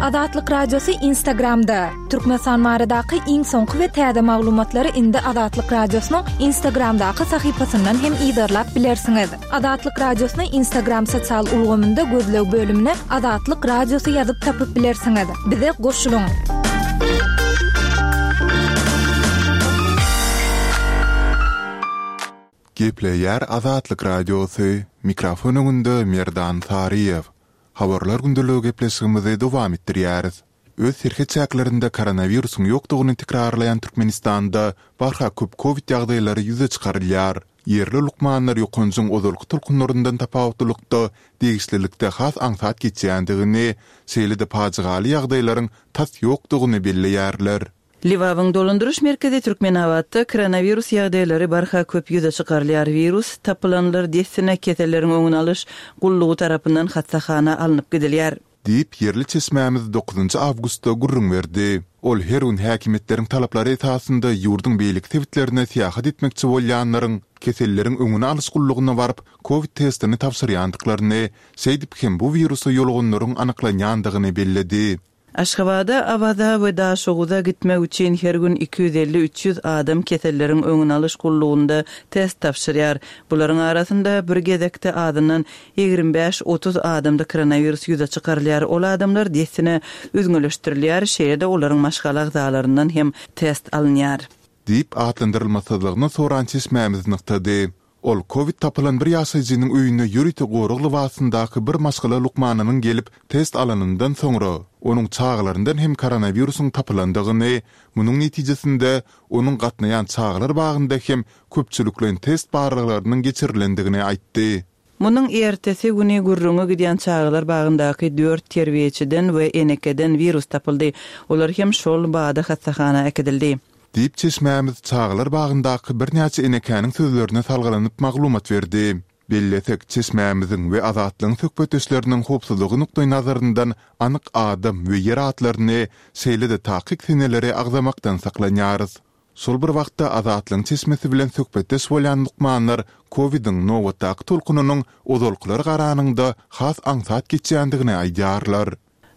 Azatlyk Radiosy Instagramda! Türkmenistan baradaky iň soňky we täze maglumatlary indi Azatlyk Radiosynyň Instagramdaky sahypasyndan hem yzarlap bilersiňiz. Azatlyk Radiosyny Instagram sosial ulgamynda gözleg bölümine Azatlyk Radiosy ýazyp tapyp bilersiňiz. Bize goşulyň! Gepleýär Azatlyk Radiosy, mikrofon öňünde Merdan Saryýew. Habarlar gündeligi gepleşigimizi dowam etdirýäris. Öz serhet çäklerinde koronawirusyň ýokdugyny tekrarlaýan Türkmenistanda barha köp kowid ýagdaýlary ýüze çykarylýar. Ýerli lukmanlar ýokanjyň ozalky tolkunlaryndan tapawutlylykda degişlilikde has aňsat geçýändigini, şeýle-de pajygaly ýagdaýlaryň tas ýokdugyny belleýärler. Lebabyň dolandyryş merkezi Türkmenabatda koronawirus ýagdaýlary barha köp ýüze çykarylýar. Wirus tapylanlar dessine keselleriň öňüni alyş gullugy tarapyndan hassahana alnyp gidilýär. Diýip, ýerli çeşmämiz dokuzynjy awgustda gürrüň berdi. Ol her gün häkimiýetleriň talaplary esasynda ýurduň beýleki sebitlerine syýahat etmekçi bolýanlaryň Keselleriň öňüni alyş gullugyna baryp, kowid testini tabşyrýandyklaryny, şeýdip hem bu wirusa ýoluganlaryň anyklanýandygyny belledi. Aşgabada, Awaza we Daşoguza gitmek üçin her gün 250-300 adam keselleriň öňüni alyş gullugynda test tabşyrýar. Bularyň arasynda bir gezekde azyndan 25-30 adamda koronawirus ýüze çykarylýar. Ol adamlar dessine üzňeleşdirilýär, şeýle-de olaryň maşgala agzalaryndan hem test alynýar. Diýip, atlandyrylmasyzlygyny soran çeşmämiz nygtady. Ol kowid tapylan bir ýaşaýjynyň öýüne ýörite gorag lybasyndaky bir maşgala lukmanynyň gelip, test alanyndan soňra, onuň çagalaryndan hem koronawirusyň tapylandygyny, munuň netijesinde, onuň gatnaýan çagalar bagynda hem köpçülikleýin test barlaglarynyň geçirilendigini aýtdy. Munuň ertesi güni gürrüňi gidýän çagalar bagyndaky dört terbiýeçiden we enekeden wirus tapyldy. Olar hem şol bada hassahana äkidildi. Diýip, çeşmämiz çagalar bagyndaky birnäçe enekäniň sözlerine salgylanyp maglumat berdi. Bellesek, çeşmämiziň we Azatlygyň söhbetdeşleriniň howpsuzlygy nukdaýnazaryndan anyk adam we ýer atlaryny, şeýle-de takyk seneleri agzamakdan saklanýarys. Şol bir wagtda, Azatlygyň çeşmesi bilen söhbetdeş bolýan lukmanlar kowidiň nobatdaky tolkunynyň ozalkylara garanyňda has aňsat geçýändigini aýdýarlar.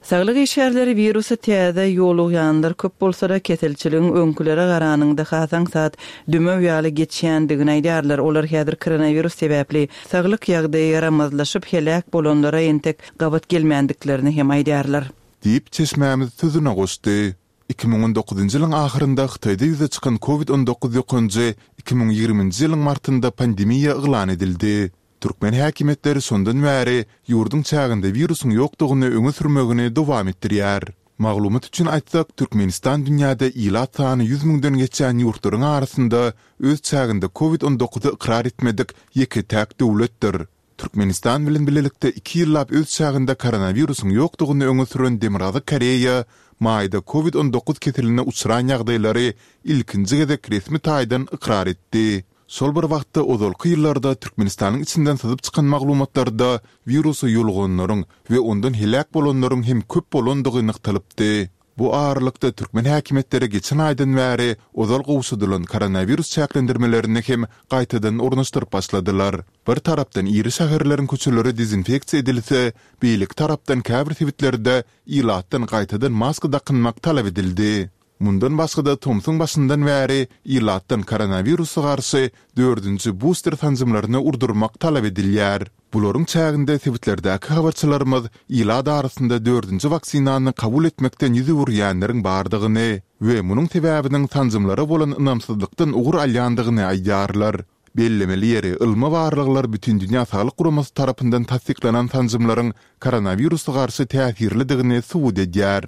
Saglyk işgärleri wirusa täze ýolugýanlar köp bolsa-da, keselçiligiň öňkülere garanyňda has aňsat, dümew ýaly geçýändigini aýdýarlar. Olar häzir koronawirus sebäpli saglyk ýagdaýy ýaramazlaşyp, heläk bolanlara entek gabat gelmändiklerini hem aýdýarlar. Diýip, çeşmämiz sözüne goşdy. 2019-njy ýylyň ahyrynda Hytaýda ýüze çykan Covid 19 ýokanjy 2020-nji ýylyň martynda pandemiýa yglan edildi. Türkmen häkimiýetleri şondan bäri ýurduň çäginde wirusyň ýokdugyny öňe sürmegini dowam etdirýär. Maglumat üçin aýtsak, Türkmenistan dünýäde ilat sany ýüz müňden geçýän ýurtlaryň arasynda öz çäginde Covid 19-y ykrar etmedik ýeke-täk döwletdir. Türkmenistan bilen bilelikde iki ýyllap öz çäginde koronawirusyň ýokdugyny öňe süren Demirgazyk Koreýa maýda Covid 19 keseline uçran ýagdaýlary ilkinji gezek resmi taýdan ykrar etdi. Şol bir wagtda ozalky ýyllarda Türkmenistanyň içinden syzyp çykan maglumatlarda wirusa ýoluganlaryň we ondan heläk bolanlaryň hem köp bolandygy nygtalypdy. Bu aralykda türkmen häkimiýetleri geçen aýdan bäri ozal gowşadylan koronawirus çäklendirmelerini hem gaýtadan ornaşdyryp başladylar. Bir tarapdan iri şäherleriň köçeleri dezinfeksiýa edilse, beýleki tarapdan käbir sebitlerde ilatdan gaýtadan maska dakynmak talap edildi. Mundan başga-da tomsuň başyndan bäri ilatdan koronawirusa garşy dördünji buster sanjymlaryny urdurmak talap edilýär. Bularyň çäginde sebitlerdäki habarçylarymyz ilat arasynda dördünji waksinany kabul etmekden ýüz öwürýänleriň bardygyny we munuň sebäbiniň sanjymlara bolan ynamsyzlykdan ugur alýandygyny aýdýarlar. Bellemeli ýeri, ylmy barlaglar Bütindünýä Saglyk Guramasy tarapyndan tassyklanan sanjymlaryň koronawirusa garşy täsirlidigini subut edýär.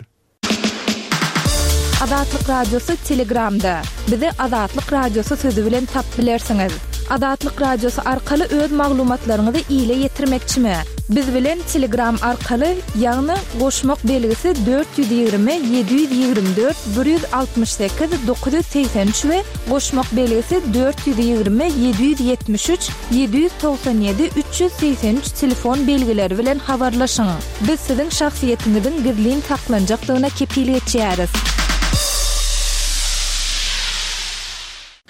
Azatlyk Radiosy Telegramda. Bizi Azatlyk Radiosy sözi bilen tap bilersiňiz. Azatlyk Radiosy arkaly öz maglumatlaryňyzy ile ýetirmekçimi? Biz bilen Telegram arkaly, ýagny goşmak belgisi 420 724 168 983 we goşmak belgisi 420 773 797 383 telefon belgileri bilen habarlaşyň. Biz siziň şahsyýetiňiziň gizlin saklanjakdygyna kepil geçýäris.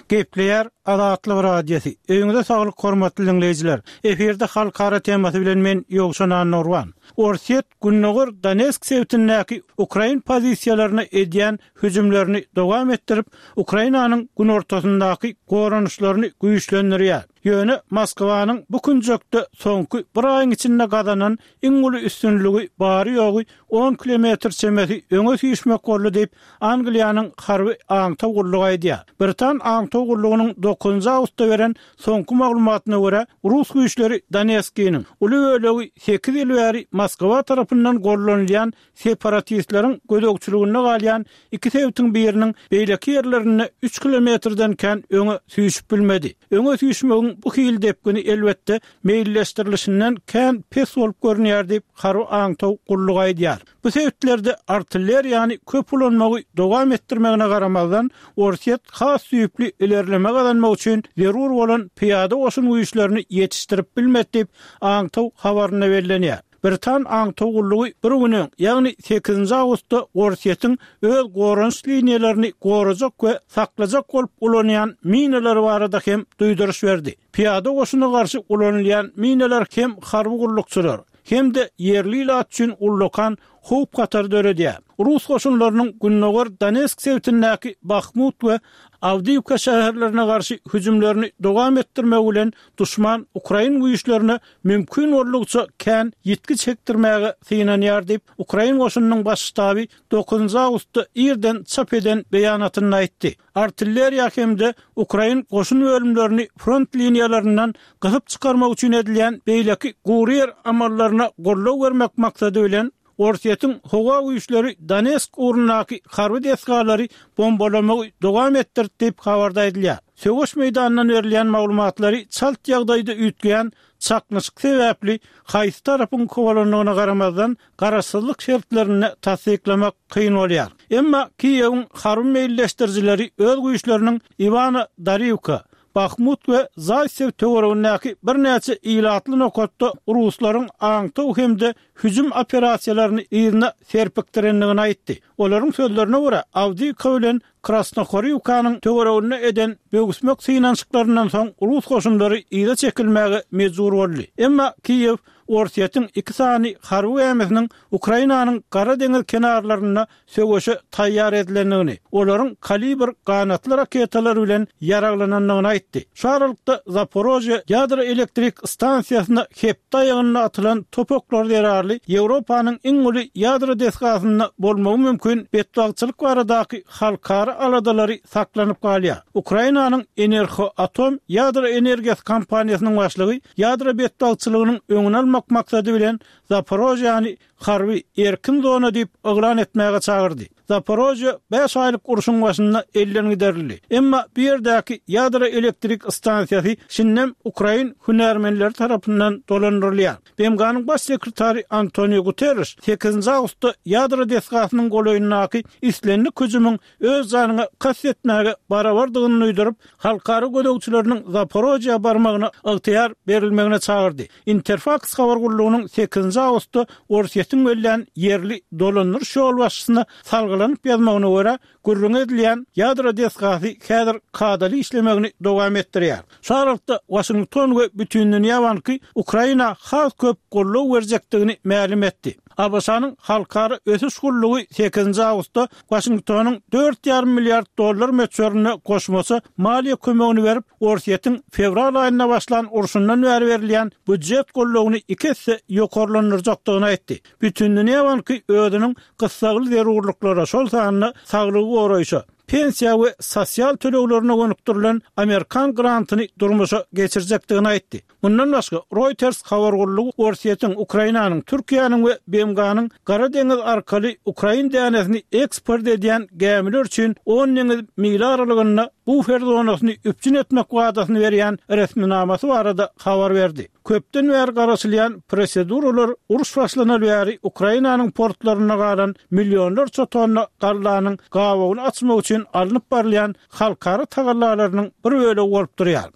Gepleýär Azatlyk Radiosy. Öýüňize saglyk hormatly diňleýjiler. Efirde halkara temasy bilen men Ýowşan Annagurban. Orsýet Gündogar Donetsk sebitindäki ukrain pozisiýalaryna edýän hüjümlerini dowam etdirip, Ukrainanyň günortasyndaky goranyşlaryny güýçlendirýär. Ýöne Moskwanyň bu künjekde soňky bir aýyň içinde gazanan iň uly üstünligi bary-ýogy on kilometr çemesi öňe süýşmek boldy diýip, Angliýanyň harby aňtaw gullugy aýdýar. Britan aňtaw gullugynyň dokuzynjy awgustda beren soňky maglumatyna görä, rus güýçleri Donetskiniň uly bölegi sekiz ýyl bäri Moskwa tarapyndan gollanylýan separatistleriň gözegçiliginde galýan iki sebitiň biriniň beýleki ýerlerinde üç kilometrden kän öňe süýşüp bilmedi. Öňe süýşmegiň bu hili depgini, elbetde, meýilleşdirilişinden kän pes bolup görünýär diýip, harby aňtaw gullugy aýdýar. Bu sebitlerde artilleriýany köp ulanmagy dowam etdirmegine garamazdan, Orsýet has düýpli ilerleme gazanmak üçin zerur bolan pyýada goşun güýçlerini ýetişdirip bilmedi diýip, aňtaw habarynda bellenýär. Britan aňtaw gullugy bir gün öň, ýagny sekizinji awgustda Orsýetiň öz goranyş liniýalaryny gorajak we saklajak bolup ulanýan minalary barada hem duýduryş berdi. Pyýada goşuna garşy ulanylýan minalar hem harby gullukçylar, hem-de ýerli ilat üçin ullakan howp-hatar döredýär. Rus goşunlarynyň gündogar Donetsk sebitindäki Bahmut we Awdiýiwka şäherlerine garşy hüjümlerini dowam etdirmegi bilen duşman ukrain güýçlerine mümkin boldugyça kän ýitgi çekdirmäge synanýar diýip, ukrain goşunynyň baş ştaby dokuzynjy awgustda irden çap eden beýanatynda aýtdy. Artilleriýa hem-de ukrain goşun bölümlerini front liniýalaryndan gysyp çykarmak üçin edilýän beýleki gury ýer amallaryna goldaw bermek maksady bilen, Orsýetiň howa güýçleri Donetsk ugrundaky harby desgalary bombalamagy dowam etdirdi diýip, habarda aýdylýar. Söweş meýdanyndan berilýän maglumatlary çalt ýagdaýda üýtgeýän çaknyşyk sebäpli haýsy tarapyň kowalandygyna garamazdan, garaşsyzlyk şertlerinde tassyklamak kyn bolýar. Emma Kiýewiň harby meýilleşdirijileri öz güýçleriniň Iwano-Dariwka, Bahmut we Zaýtsew töweregindäki birnäçe ilatly nokatda ruslaryň aňtaw hem-de hüjüm operasiýalaryny yzyna serpikdirendigini aýtdy. Olaryň sözlerine görä, Awdiýiwka bilen Krasnohoriwkanyň töwereginde eden böwüsmek synanyşyklaryndan soň rus goşunlary yza çekilmäge mejbur boldy. Emma Kiýew Orsýetiň iki sany harby gämisiniň Ukrainanyň Gara deňiz kenarlarynda söweşe taýýar edilendigini, olaryň Kalibr ganatly raketalary bilen ýaraglanandygyny aýtdy. Şu aralykda, Zaporožýe ýadro elektrik stansiýasyna hepde aýagynda atylan top oklary zerarly Ýewropanyň iň uly ýadro desgasynda bolmagy mümkin betbagtçylyk baradaky halkara aladalary saklanyp galýar. Ukrainanyň Enerhoatom ýadro energiýasy kompaniýasynyň başlygy ýadro betbagtçylygynyň öňüni almak maksady bilen Zaporožýäni harby erkin zona diýip yglan etmäge çagyrdy. Zaporožýe bäş aýlyk urşuň başynda elden giderildi. Emma bu ýerdäki ýadro elektrik stansiýasy şindem ukrain hünärmenleri tarapyndan dolandyrylýar. BMG-niň Baş sekretary Antoniu Guterriş sekizinji awgustda ýadro desgasynyň golaýyndaky islendik hüjümiň öz janyňa kast etmäge barabardygyny duýduryp, halkara gözegçileriniň Zaporožýa barmagyna ygtyýar berilmegine çagyrdy. Interfaks habar gullugynyň sekizinji awgustda Orsýetiň bellän ýerli dolandyryş ýolbaşçysyna salgylanyp ýazmagyna görä, gürrüňi edilýän ýadro desgasy häzir kadaly işlemegini dowam etdirýär. Şu aralykda, Waşington we Bütindünýä banky Ukraina has köp goldaw berjekdigini mälim etdi. ABŞ-nyň Halkara ösüş gullugy sekizinji awgustda Waşingtonyň dört ýarym milliard dollar möçberinde goşmaça maliýe kömegini berip, Orsýetiň fewral aýynda başlan urşundan bäri berilýän býujet goldawyny iki esse ýokarlandyrjakdygyny aýtdy. Bütindünýä banky özüniň gyssagly zerurlyklara, şol sanda saglygy goraýşa, pensiýa we sosial töleglerine gönükdirilen amerikan grantyny durmuşa geçirjekdigini aýtdy. Mundan başga, Reuters habar gullugy Orsýetiň, Ukrainanyň, Türkiýäniň we BMG-niň Gara deňiz arkaly ukrain dänesini eksport edýän gämiler üçin on deňiz mili aralygynda bufer zonasyny üpjün etmek wadasyny berýän resminamasy barada habar berdi. Köpden bäri garaşylýan proseduralar uruş başlanaly bäri Ukrainanyň portlarynda galan millionlarça tonna gallanyň gabawyny açmak üçin alnyp barylýan halkara tagallalarynyň bir bölegi bolup durýar.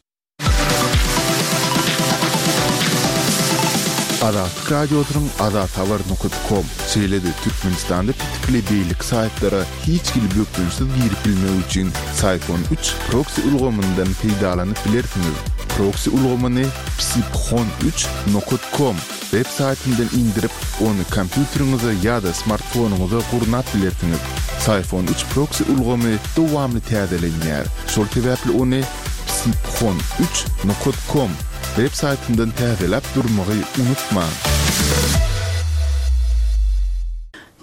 Azatlyk Radiosynyň azathabar nokat kom, şeýle-de Türkmenistanda petikli beýleki saýtlara hiç hili bökdençsiz girip bilmek üçin Syphon üç proksi ulgamyndan peýdalanyp bilersiňiz. Proksi ulgamyny psiphon üç nokat kom web saýtyndan indirip, ony kompýuteriňize ýa-da smartfonyňyza gurnap bilersiňiz. Syphon üç proksi ulgamy dowamly täzelenýär, şol sebäpli ony psiphon üç nokat kom web saýtyndan täzeläp durmagy unutmaň!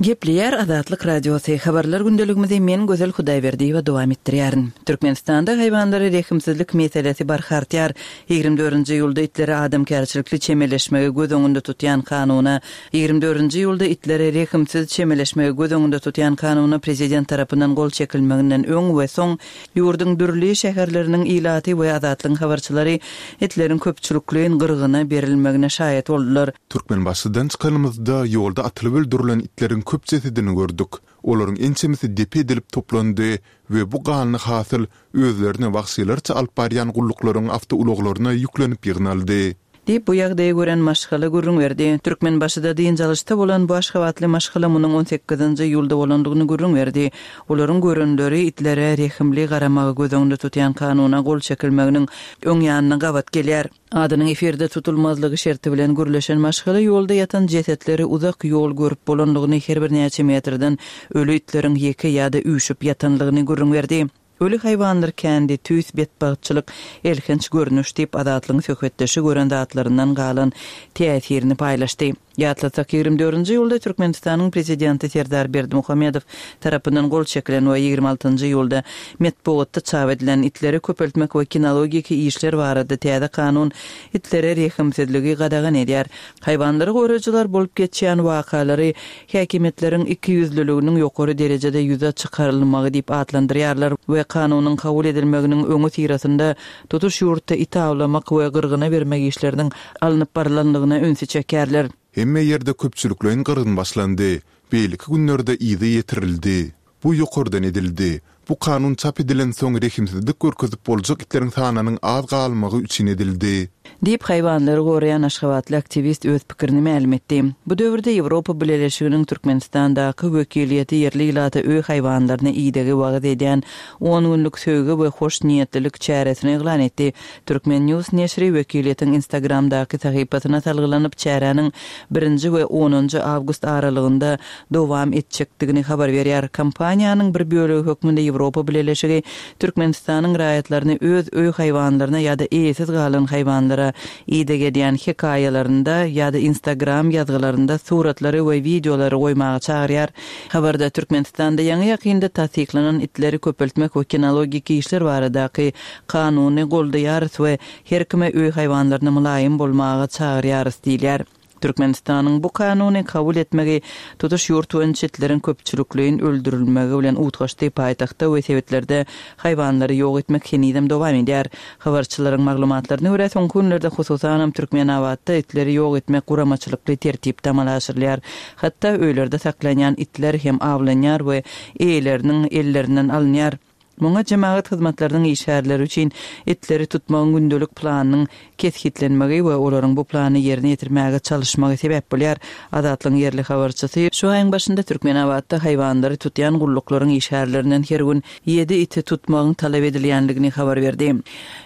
Gepleýär Azatlyk Radiosy, Habarlar gündeligimizi men Gözel Hudaýberdiýewa dowam etdirýärin. Türkmenistanda haýwanlara rehimsizlik meselesi barha artýar. 24-nji iýulda itlere adamkärçilikli çemeleşmegi göz öňünde tutýan kanuna 24-nji iýulda itlere rehimsiz çemeleşmegi göz öňünde tutýan kanuna prezident tarapyndan gol çekilmeginden öň we soň Ýurduň dürli şäherleriniň ilaty we Azatlygyň habarçylary itleriň köpçülikleýin gyrgyna berilmegine şaýat boldular. Türkmenbaşydan çykanymyzda, ýolda atylyp öldürilen itleriň köp jesedini gördük. Olaryň ençemesi depe edilip toplandy we bu ganly hasyl özlerini wagşylarça alyp barýan gulluklaryň awtoulaglaryna ýüklenip ýygnaldy. Diýip, bu ýagdaýy gören maşgala gürrüň berdi. Türkmenbaşyda dynç alyşda bolan bu aşgabatly maşgala munuň on sekizinji iýulda bolandygyny gürrüň berdi. Olaryň görenleri itlere rehimli garamagy göz öňünde tutýan kanuna gol çekilmeginiň öň ýanyna gabat gelýär. Adynyň efirde tutulmazlygy şerti bilen gürleşen maşgala ýolda ýatan jesetleri uzak ýol görüp bolandygyny, her birnäçe metrden öli itleriň ýeke ýa-da üýşüp ýatanlygyny gürrüň berdi. Öli haýwanlar kändi, tüýs betbagtçylyk, elhenç görnüş diýip, Azatlygyň söhbetdeşi gören zatlaryndan galan täsirini paýlaşdy. Ýatlatsak, 24-nji iýulda Türkmenistanyň Prezidenti Serdar Berdimuhamedow tarapyndan gol çekilen we 26-njy iýulda metbugatda çap edilen Itleri köpeltmek we kinologiki işler barada täze kanun itlere rehimsizligi gadagan edýär. Haýwanlary goraýjylar bolup geçýän wakalary häkimiýetleriň ikiýüzlüliginiň ýokary derejede ýüze çykarylmagy diýip atlandyrýarlar we kanunyň kabul edilmeginiň öňüsyrasynda tutuş ýurtda it awlamak we gyrgyna bermek işleriniň alnyp barylandygyna ünsi çekýärler. Hemme ýerde köpçülikleýin gyrgyn başlandy. Beýleki günlerde yzy ýetirildi. Bu ýokardan edildi. Bu kanun çap edilensoň rehimsizlik görkezip boljak itleriň sanynyň az galmagy üçin edildi. Diýip, haýwanlary goraýan aşgabatly aktiwist öz pikirini mälim etdi. Bu döwürde Ýewropa Bileleşiginiň Türkmenistandaky wekiliýeti ýerli ilata öý haýwanlaryna idegi wagyz edýän on günlük söýgi we hoşniýetlilik çäresini yglan etdi. Turkmen. News neşiri wekiliýetiň Instagramdaky sahypasyna salgylanyp, çäräniň birinji we onunjy awgust aralygynda dowam etjekdigini habar berýär. Kampaniýanyň bir bölegi hökmünde Ýewropa Bileleşigi Türkmenistanyň raýatlaryny öz öý haýwanlaryna ýa-da eýesiz galan haýwanlara ideg edýän hekaýalarynda ýa-da Instagram ýazgylarynda suratlary we wideolary goýmaga çagyrýar. Habarda Türkmenistanda ýaňy-ýakynda tassyklanan itleri köpeltmek we kinologiki işler baradaky kanuny goldaýarys we her kime öý haýwanlaryna mylaýym bolmaga çagyrýarys diýilýär. Türkmenistanyň bu kanuny kabul etmegi tutuş ýurt boýunça itleriň köpçülikleýin öldürilmegi bilen utgaşdy, paýtagtda we sebitlerde haýwanlary ýok etmek henizem dowam edýär. Habarçylaryň maglumatlaryna görä, soňky günlerde, hususanam Türkmenabatda itleri ýok etmek guramaçylykly tertipde amala aşyrylýar. Hatda öýlerde saklanýan itler hem awlanýar we eýeleriniň ellerinden alynýar. Muňa jemagat hyzmatlarynyň işgärleri üçin itleri tutmagyň gündelik planynyň kesgitlenmegi we olaryň bu plany ýerine ýetirmäge çalyşmagy sebäp bolýar. Azatlygyň ýerli habarçysy şu aýyň başynda Türkmenabatda haýwanlary tutýan gulluklaryň işgärlerinden her gün ýedi iti tutmagyň talap edilýändigini habar berdi.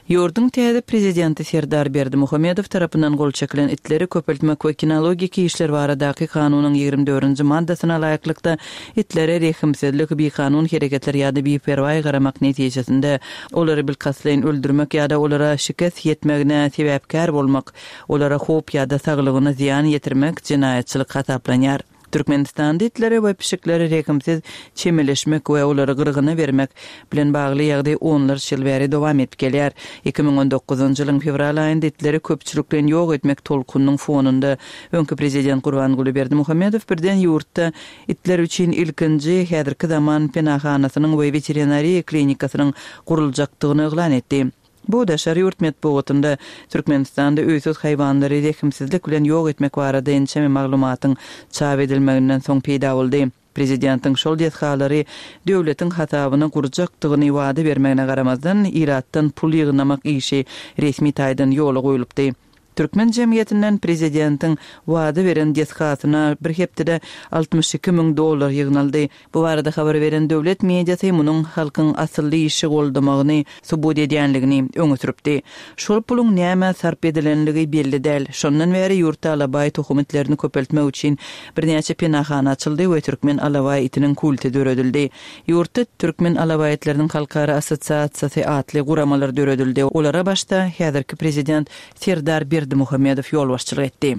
Ýurduň täze prezidenti Serdar Berdimuhamedow tarapyndan gol çekilen itleri köpeltmek we kinologiki işler baradaky kanunyň 24-nji maddasyna laýyklykda, Itlere rehimsizlik, bikanun hereketler ýa-da biperwaý garamak netijesinde olary bilkastlaýyn öldürmek ýa-da olara şikes ýetmegine sebäpkär bolmak, olara howp ýa-da saglygyna zyýan ýetirmek jenaýatçylyk hasaplanýar. Türkmenistanda itlere we pişiklere rehimsiz çemeleşmek we olary gyrgyna bermek bilen bagly ýagdaý onlarça ýyl bäri dowam edip gelýär. 2019-njy ýylyň fewral aýynda itleri köpçülikleýin ýok etmek tolkunynyň fonunda öňki prezident Gurbanguly Berdimuhamedow birden ýurtda Itler üçin ilkinji häzirki zaman penahanasynyň we weterinariýa klinikasynyň guruljakdygyny yglan etdi. Bu daşary ýurt metbugatynda Türkmenistanda öýsüz haýwanlary rehimsizlik bilen ýok etmek barada ençeme maglumatyň çap edilmeginden soň peýda boldy. Prezidentiň şol desgalary döwletiň hasabyna gurjakdygyny wada bermegine garamazdan, ilatdan pul ýygnamak işi resmi taýdan ýola goýlupdy. Türkmen jemgyýetinden prezidentiň wada beren desgasyna bir hepdede 62 müň dollar ýygnaldy. Bu barada habar beren döwlet mediasy munuň halkyň asylly işi goldamagyny subut edýänligini öňe sürüpdi. Şol puluň nämä sarp edilenligi belli däl. Şondan bäri ýurtda alabaý tohum itlerini köpeltmek üçin birnäçe penahana açyldy we türkmen alabaý itiniň kulty döredildi. Ýurtda Türkmen alabaý itleriniň halkara assosiasiýasy atly guramalar döredildi. Olara başda häzirki prezident Serdar Berdimuhamedow ýolbaşçylyk etdi.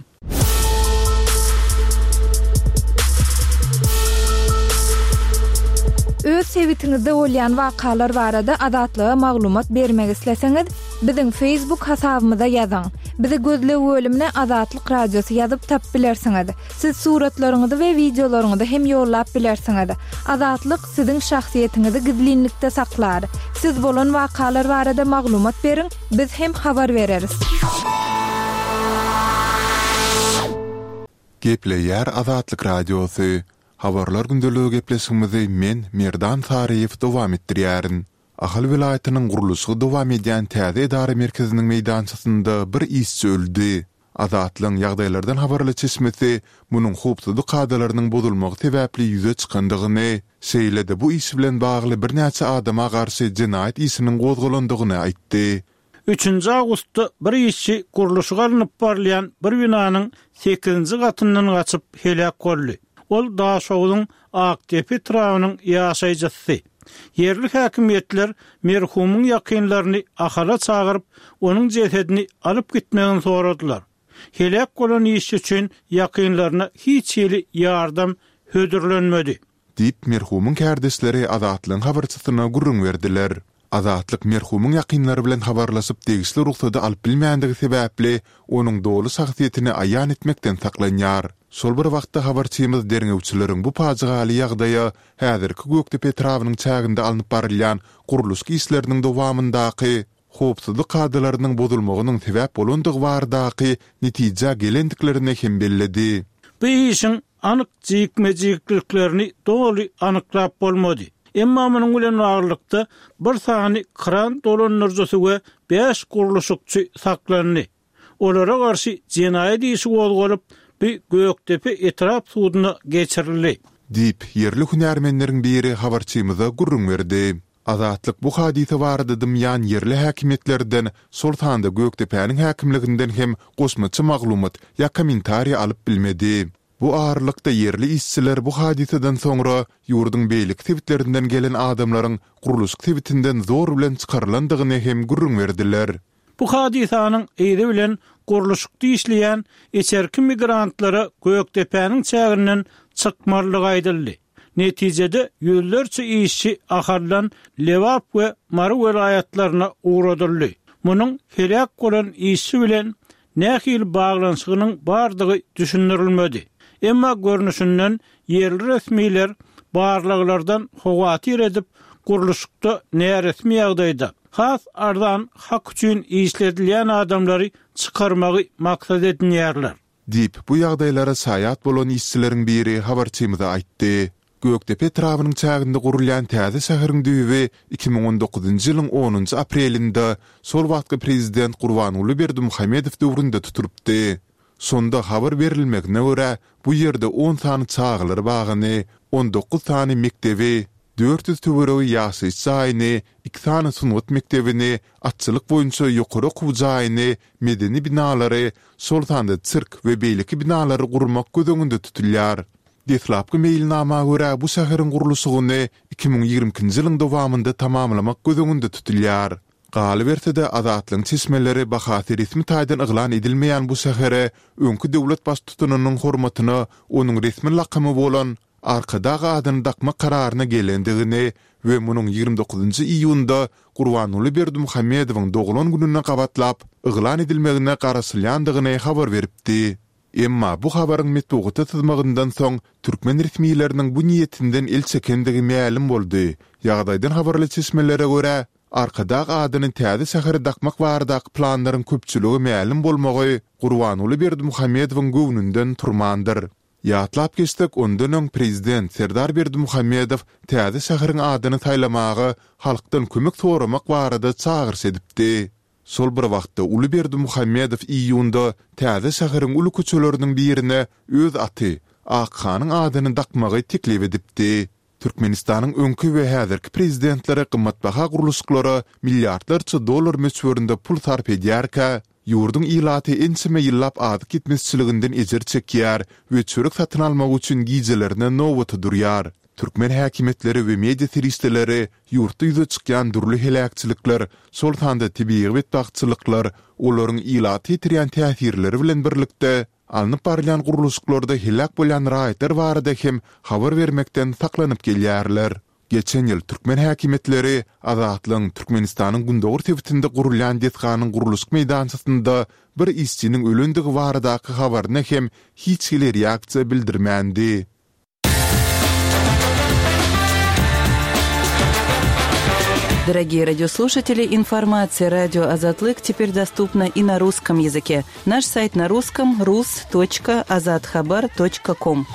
Öz sebitiňizde bolýan wakalar barada Azatlyga maglumat bermek isleseňiz, biziň Facebook hasabymyza ýazyň. Bizi gözleg bölümine Azatlyk Radiosy ýazyp tapyp bilersiňiz. Siz suratlaryňyzy we wideolaryňyzy hem ýollap bilersiňiz. Azatlyk siziň şahsyýetiňizi gizlinlikde saklar. Siz bolan wakalar barada maglumat beriň, biz hem habar bereris. Gepleýär Azatlyk Radiosy. Habarlar gündeligi gepleşigimizi men, Merdan Saryýew dowam etdirýärin. Ahal welaýatynyň gurluşygy dowam edýän täze edara merkeziniň meýdançasynda bir işçi öldi. Azatlygyň ýagdaýlardan habarly çeşmesi munuň howpsuzlyk kadalarynyň bozulmagy sebäpli ýüze çykandygyny, şeýle-de bu iş bilen bagly birnäçe adama garşy jenaýat işiniň gozgalandygyny aýtdy. Üçünji awgustda bir işçi gurluşygy alnyp barylýan bir binanyň sekizinji gatyndan gaçyp heläk boldy. Ol Daşogzuň Akdepe etrabynyň ýaşaýjysy. Ýerli häkimiýetler merhumyň ýakynlaryny Ahala çagyryp, onuň jesedini alyp gitmegini soradylar. Heläk bolan işçi üçin ýakynlaryna hiç hili ýardam hödürlenmedi. Diýip, merhumyň kärdeşleri Azatlygyň habarçysyna gürrüň berdiler. Azatlyk merhumyň ýakynlary bilen habarlaşyp degişli rugsady alyp bilmändigi sebäpli, onuň doly şahsyýetini aýan etmekden saklanýar. Şol bir wagtda habarçymyz derňewçileriň bu pajygaly ýagdaýa häzirki Gökdepe etrabynyň çäginde alnyp barylýan gurluşyk işleriniň dowamyndaky howpsuzlyk kadalarynyň bozulmagynyň sebäp bolandygy baradaky netijä gelendiklerini hem belledi. Bu işiň anyk jikme-jikliklerini doly anyklap bolmady. Emma munuň bilen baglylykda, bir sany kran dolandyryjysy we bäş gurluşykçy saklandy. Olara garşy jenaýat işi gozgalyp, bu Gökdepe etrap suduna geçirildi. Diýip, ýerli hünärmenleriň biri habarçymyza gürrüň berdi. Azatlyk bu hadysa barada dymýan ýerli häkimiýetlerden, şol sanda Gökdepäniň häkimliginden hem goşmaça maglumat ýa kommentariý alyp bilmedi. Bu aralykda ýerli işçiler bu hadysadan soňra ýurduň beýleki sebitlerinden gelen adamlaryň gurluşyk sebitinden zor bilen çykarylandygyny hem gürrüň berdiler. Bu hadysanyň yzy bilen gurluşykda işleýän içerki migrantlara Gökdepäniň çäginden çykmalydygy aýdyldy. Netijede ýüzlerçe işçi Ahaldan Lebap we Mary welaýatlaryna ugradyldy. Munuň heläk bolan işçi bilen nähili baglanyşygynyň bardygy düşündirilmedi. Emma görnüşinden ýerli resmiler barlaglardan howatyr edip, gurluşykda näresmi ýagdaýda, has arzan hak üçin işledilýän adamlary çykarmagy maksat edinýärler. Diýip, bu ýagdaýlara şaýat bolan işçileriň biri habarçymyza aýtdy. Gökdepe etrabynyň çäginde gurulýan täze şäheriň düýbi 2019-njy ýylyň onunjy aprelinde şol wagtky prezident Gurbanguly Berdimuhamedow döwründe tutulypdy. Şonda habar berilmegine görä, bu ýerde on sany çagalar bagyny, 19 sany mekdebi, 400 töweregi ýaşaýyş jaýyny, iki sany sungat mekdebini, atçylyk boýunça ýokary okuw jaýyny, medeni binalary, şol sanda sirk we beýleki binalary gurmak göz öňünde tutulýar. Deslapky meýilnama görä, bu şäheriň gurluşygyny 2022-nji ýylyň dowamynda tamamlamak göz öňünde tutulýar. Galyberse-de, Azatlygyň çeşmeleri bahasy resmi taýdan yglan edilmeýän bu şähere öňki döwlet baştutanynyň hormatyna onuň resmi lakamy bolan Arkadag adyny dakmak kararyna gelendigini we munuň 29 njy iýunda Gurbanguly Berdimuhamedowyň doglan gününe gabatlap yglan edilmegine garaşylýandygyny habar beripdi. Emma bu habaryň metbugata syzmagyndan soň türkmen resmileriniň bu niýetinden el çekendigi mälim boldy. Ýagdaýdan habarly çeşmelere görä, Arkadag adyny täze şähere dakmak baradaky planlaryň köpçülige mälim bolmagy Gurbanguly Berdimuhamedowyň göwnünden turmandyr. Ýatlap geçsek, ondan öň prezident Serdar Berdimuhamedow täze şäheriň adyny saýlamaga halkdan kömek soramak barada çagyryş edipdi. Şol bir wagtda uly Berdimuhamedow iýunda täze şäheriň uly köçeleriniň birine öz aty, Akhanyň adyny dakmagy teklip edipdi. Türkmenistanyň öňki we häzirki prezidentleri gymmatbaha gurluşyklara milliardlarça dollar möçberinde pul sarp edýärkä, ýurduň ilaty ençeme ýyllap azyk ýetmezçiliginden ejir çekýär we çörek satyn almak üçin gijelerine nobata durýar. Türkmen häkimiýetleri we media serişdeleri ýurtda ýüze çykýan dürli heläkçilikler, şol sanda tebigy betbagtçylyklar, olaryň ilata ýetirýän täsirleri bilen birlikde, Alnyp barylýan gurluşyklarda heläk bolýan raýatlar barada hem habar bermekden saklanyp gelýärler. Geçen ýyl türkmen häkimiýetleri Azatlygyň Türkmenistanyň gündogar sebitinde gurulýan desganyň gurluşyk meýdançasynda bir işçiniň ölendigi baradaky habaryna hem hiç hili reaksiýa bildirmändi. Дорогие радиослушатели, информация радио Азатлык теперь доступна и на русском языке. Наш сайт на русском rus.azathabar.com.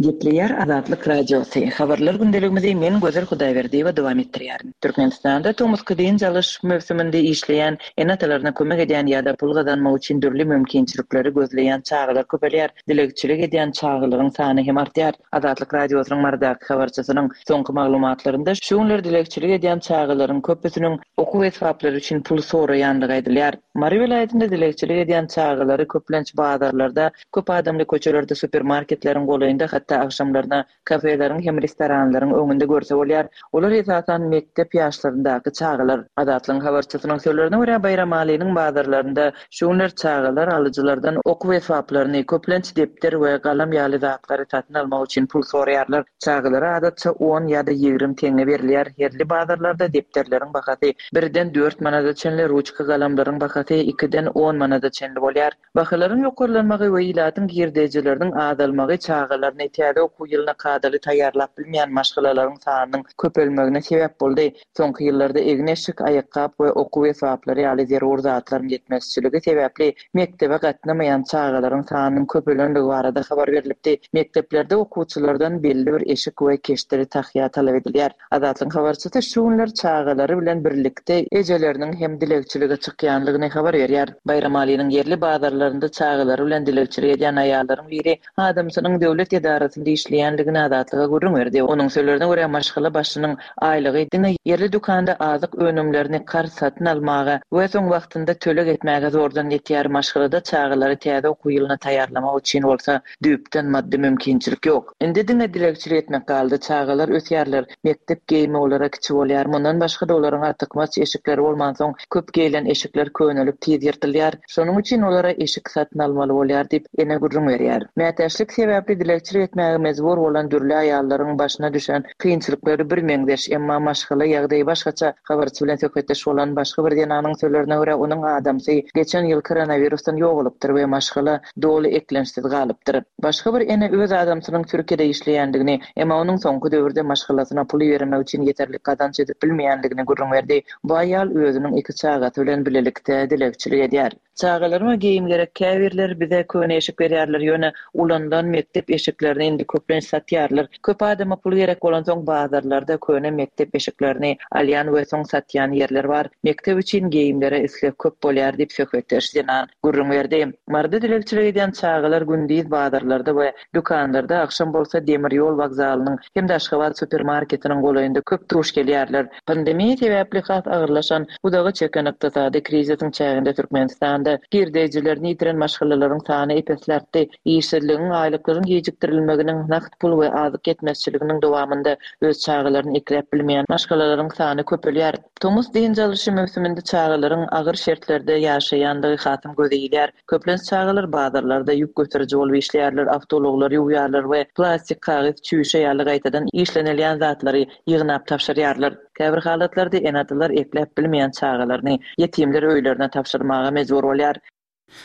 Gepleýär Azatlyk Radiosy, Habarlar gündeligimizi men Gözel Hudaýberdiýewa dowam etdirýärin. Türkmenistanda tomusky dynç alyş möwsüminde işleýän ene-atalaryna kömek edýän ýa-da pul gazanmak üçin dürli mümkinçilikleri gözleýän çagalar köpelýär, dilegçilik edýän çagalaryň sany hem artýar. Azatlyk Radiosynyň Marydaky habarçysynyň soňky maglumatlarynda şu günler dilegçilik edýän çagalaryň köpüsiniň okuw esbaplary üçin pul soraýandygy aýdylýar. Mary welaýatynda dilegçilik edýän çagalary köplenç bazarlarda Köp adamly köçelerde, supermarketleriň golaýynda, hatda agşamlaryna kafeleriň hem restoranlaryň öňünde görse bolýar. Olar esasan mekdep ýaşlaryndaky çagalar. Azatlygyň habarçysynyň sözlerine görä, Baýramalynyň bazarlarynda şu günler çagalar alyjylardan okuw esbaplaryny, köplenç depder we galam ýaly zatlary satyn almak üçin pul soraýarlar. Çagalara adatça on ýa-da 20 teňňe berilýär. Ýerli bazarlarda depderleriň bahasy birden dört manada çenli, ruçka-galamlaryň bahasy ikiden on manada çenli bolýar. Bahalaryň ýokarlanmagy we ilatyň girdejileriniň azalmagy çagalaryny täze okuw ýylyna kadaly taýýarlap bilmeýän maşgalalaryň sanynyň köpelmegine sebäp boldy. Soňky ýyllarda egin-eşik, aýakgap we okuw esbaplary ýaly zerur zatlaryň ýetmezçiligi sebäpli mekdebe gatnamaýan çagalaryň sanynyň köpelenligi barada habar berlipdi. Mekdeplerde okuwçylardan belli bir eşik we keşdeli tahýa talap edilýär. Azatlygyň habarçysy şu günler çagalary bilen birlikde ejeleriniň hem dilegçilige çykýanlygyny habar berýär. Baýramalynyň ýerli bazarlarynda çagalary bilen dilegçilik edýän aýallaryň biri adamsynyň döwlet edarasynda işleýänligini Azatlyga gürrüň berdi. Onuň sözlerine görä, maşgala başynyň aýlygy diňe ýerli dükanda azyk önümlerini karz satyn almaga we soň wagtynda töleg etmäge zordan ýetýär, maşgalada çagalary täze okuw ýylyna taýýarlamak üçin bolsa düýpden maddy mümkinçilik ýok. Indi diňe dilegçilik etmek galdy. Çagalar ösýärler. Mekdep geýimi olara kiçi bolýar. Mundan başga-da olaryň artykmaç eşikleri bolmansoň, köp geýlen eşikler könelip tiz ýyrtylýar. Şonuň üçin olara eşik satyn almaly bolýar diýip, ene gürrüň berýär. Mätäçlik sebäpli dilegçilik etmäge mejbur bolan dürli aýallaryň başyna düşen kynçylyklary birmeňzeş, emma maşgala ýagdaýy başgaça. Habarçy bilen söhbetdeş bolan başga bir zenanyň sözlerine görä, onuň adamsy geçen ýyl koronawirusdan ýogalypdyr we maşgala doly eklençsiz galypdyr. Başga bir ene öz adamsynyň Türkiýede işleýändigini, emma onuň soňky döwürde maşgalasyna pul ibermek üçin ýeterlik gazanç edip bilmeýändigini gürrüň berdi. Bu aýal özüniň iki çagasy bilen bilelikde dilegçilik edýär. Çagalaryma geýim gerek, käbirleri bize köne eşik berýärler, ýöne ulanylan mekdep eşiklerini indi köplenç satýarlar. Köp adama pul gerek bolansoň bazarlarda köne mekdep eşiklerini alýan we soň satýan ýerler bar. Mekdep üçin geýimlere isleg köp bolýar diýip söhbetdeş zenan gürrüň berdi. Maryda dilegçilik edýän çagalar gündiz bazarlarda we dükanlarda, agşam bolsa demir ýol wokzalynyň hem-de Aşgabat supermarketiniň golaýynda köp duş gelýärler. Pandemiýa sebäpli has agyrlaşan, uzaga çeken ykdysady krizisiň çäginde Türkmenistanda girdejilerini ýitiren maşgalalaryň sany ep-esli artdy. Işsizligiň, aýlyklaryň gijikdirilmeginiň, nagt pul we azyk ýetmezçiliginiň dowamynda öz çagalaryny ekläp bilmeýän maşgalalaryň sany köpelýär. Tomus dynç alyşy möwsüminde çagalaryň agyr şertlerde ýaşaýandygy hasam göze ilýär. Köplenç çagalar bazarlarda ýük göteriji bolup işleýärler, awtoulaglary ýuwýarlar we plastik, kagyz, çüýşe ýaly gaýtadan işlenilýän zatlary ýygnap tabşyrýarlar. Käbir halatlarda ene-atalar ekläp bilmeýän çagalaryny ýetimler öýlerine tabşyrmaga mejbur bolýar.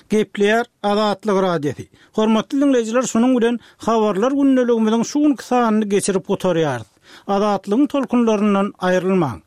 Gepleýär Azatlyk Radiosy. Hormatly diňleýjiler şunuň bilen Habarlar gündeligimiziň şu günki sanyny geçirip gutarýarys. Azatlygyň tolkunlaryndan aýrylmaň.